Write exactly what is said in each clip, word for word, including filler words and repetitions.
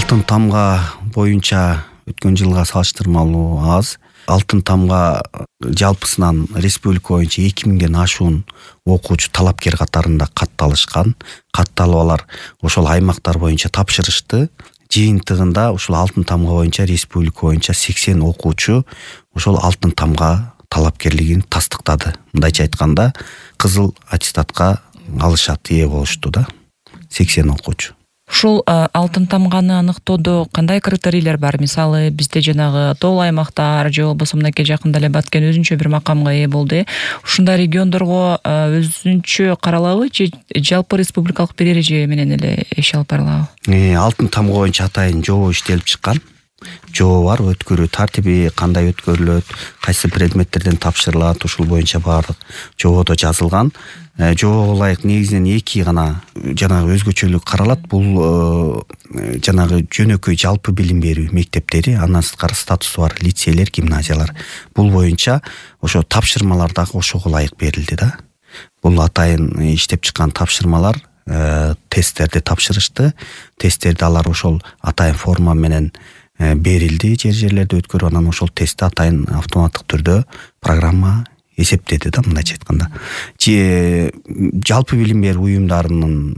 Алтын тамга боюнча өткөн жылга салыштырмалуу аз. Алтын тамга жалпысынан республика боюнча эки миңден ашуун окуучу талапкер катарында катталышкан. Катталып алар ошол аймактар боюнча тапшырышты. Жыйынтыгында ушул алтын тамга боюнча республика боюнча сексен окуучу ошол алтын тамга талапкерлигин тастыктады. Мындайча айтканда, кызыл аттестатка алышат, ээ болушту да. сексен окуучу. Ушул алтын тамганы аныктоодо кандай критерийлер бар? Мисалы, бизде жанагы тоол аймактар же болбосо мынакей жакында эле Баткен өзүнчө бир макамга ээ болду. Ушундай региондорго өзүнчө каралабы же жалпы республикалык бир эреже менен эле иш алып барылабы? Э, алтын тамга боюнча атайын жобо иштелип чыккан. Жобо бар, өткөрүү тартиби кандай өткөрүлөт, кайсы предметтерден тапшырылат, ушул боюнча баардык жободо жазылган. Жобого ылайык негизинен эки гана жанагы өзгөчөлүк каралат. Бул жанагы жөнөкөй жалпы билим берүү мектептери, андан сырткары статусу бар лицейлер, гимназиялар. Бул боюнча ошо тапшырмалар дагы ошого ылайык берилди да. Бул атайын иштеп чыккан тапшырмалар, тесттерди тапшырышты. Тесттерди алар ошол атайын форма менен берилди, жер жерлерде өткөрүп, анан ошол тестти атайын автоматтык түрдө программа эсептеди да, мындайча айтканда. Же жалпы билим берүү уюмдарынын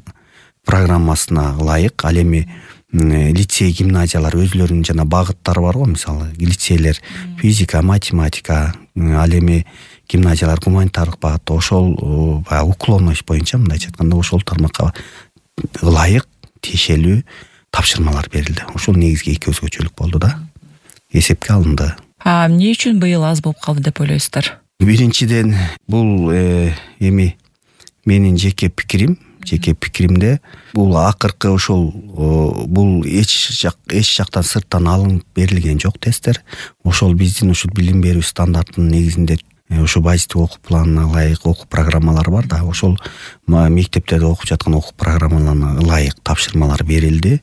программасына ылайык, ал эми лицей, гимназиялар өзлөрүнүн жана багыттары бар го, мисалы, лицейлер физика, математика, ал эми гимназиялар гуманитардык багытта, ошол баягы уклонность боюнча, мындайча айтканда, ошол тармакка ылайык тиешелүү тапшырмалар берилди. Ошол негизги эки өзгөчөлүк болду да. Эсепке алынды. А эмне үчүн быйыл аз болуп калды деп ойлойсуздар? Биринчиден, бул эми менин жеке пикирим, жеке пикиримде бул акыркы ошол бул эч жак эч жактан сырттан алынып берилген жок тесттер. Ошол биздин ушул билим берүү стандартынын негизинде ошо базистик окуу планына ылайык окуу программалары бар да. Ошол мектептерде окуп жаткан окуу программаларына ылайык тапшырмалар берилди.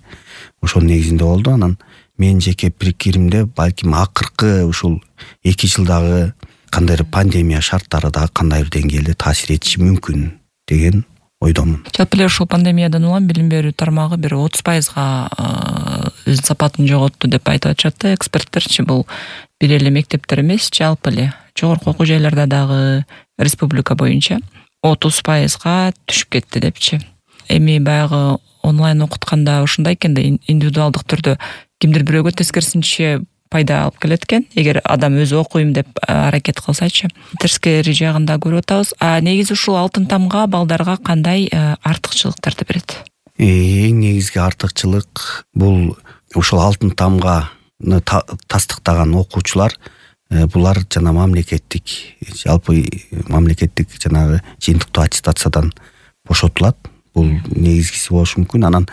Ошол негизинде болду. Анан менин жеке пикиримде балким акыркы ушул эки жылдагы кандайдыр пандемия шарттары да кандайдыр деңгээлде таасир этиши мүмкүн деген ойдомун. Жалпы эле ушул пандемиядан улам билим берүү тармагы бир отуз пайызга өз сапатын жоготту деп айтып атышат да эксперттерчи. Бул бир эле мектептер эмес, жалпы эле жогорку окуу жайларда дагы республика боюнча отуз пайызга түшүп кетти депчи. Эми баягы онлайн окутканда ушундай экен да, индивидуалдык түрдө кимдир бирөөгө тескерисинче пайда алып келет экен, эгер адам өзү окуйм деп аракет кылсачы. Тескери жагын да көрүп атабыз. А негизи ушул алтын тамга балдарга кандай артыкчылыктарды берет? Эң негизги артыкчылык бул ушул алтын тамганы тастыктаган окуучулар, булар жана мамлекеттик, жалпы мамлекеттик жанагы жыйынтыктуу аттестациядан бошотулат. Бул негизгиси болушу мүмкүн. Анан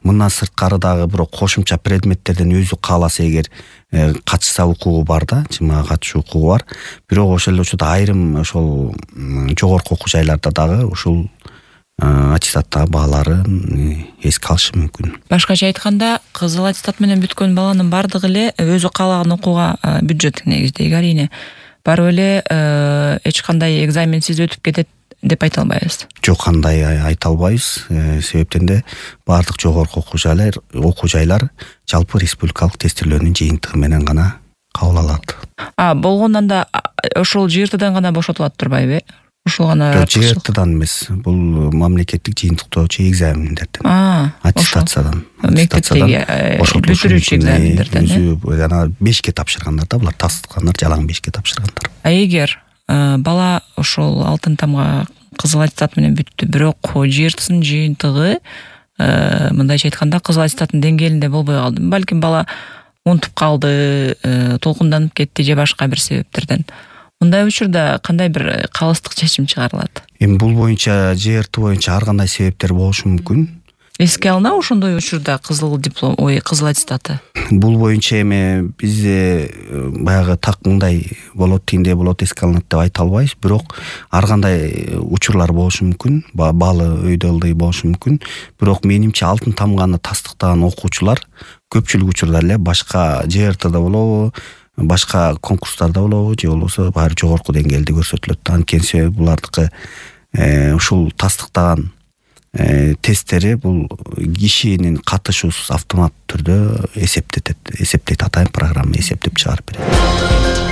мындан сырткары дагы бирок кошумча предметтерден өзү кааласа эгер катышса укугу бар да, жымага катышуу укугу бар. Бирок ошол эле учурда айрым ошол жогорку окуу жайларда дагы ушул аттестаттагы бааларын эске алышы мүмкүн. Башкача айтканда, кызыл аттестат менен бүткөн баланын бардыгы эле өзү каалаган окууга бюджеттик негизде арийне барып эле эч кандай экзаменсиз өтүп кетет деп айта албайбыз. Жок, кандай айта албайбыз. Себептен де бардык жогорку окуу жайлар, окуу жайлар жалпы республикалык тестирлөөнүн жыйынтыгы менен гана кабыл алат. А болгондон да ошол жыйыртыдан гана бошотулат турбайбы? Ушул гана жыйыртыдан эмес, бул мамлекеттик жыйынтыктоочу экзамендерден, аттестациядан, мектептеги бүтүрүүчү экзамендерден. Өзү жана бешке тапшыргандар да, булар тастыккандар, жалаң бешке тапшыргандар. А эгер бала ошол алтын тамга кызыл аттестат менен бүттү, бирок жыйыртысынын жыйынтыгы мындайча айтканда кызыл аттестаттын деңгээлинде болбой калды. Балким бала унутуп калды, толкунданып кетти же башка бир себептерден. Мындай учурда кандай бир калыстык чечим чыгарылат? Эми бул боюнча, жыйырты боюнча ар кандай себептер болушу мүмкүн. Эске алына ошондой учурда кызыл диплом, ой, кызыл аттестаты? Бул боюнча эми бизде баягы так мындай болот, тиндей болот, эске алынат деп айта албайбыз. Бирок ар кандай учурлар болушу мүмкүн, баалы өйдө ылдый болушу мүмкүн. Бирок менимче алтын тамганы тастыктаган окуучулар көпчүлүк учурда эле башка жыйыртыда болобу, башка конкурстарда болобу, же болбосо баары жогорку деңгээлде көрсөтүлөт. Анткени себеби булардыкы ушул тастыктаган тесттери бул кишинин катышуусуз автомат түрдө эсептетет эсептейт атайын программа эсептеп чыгарып берет.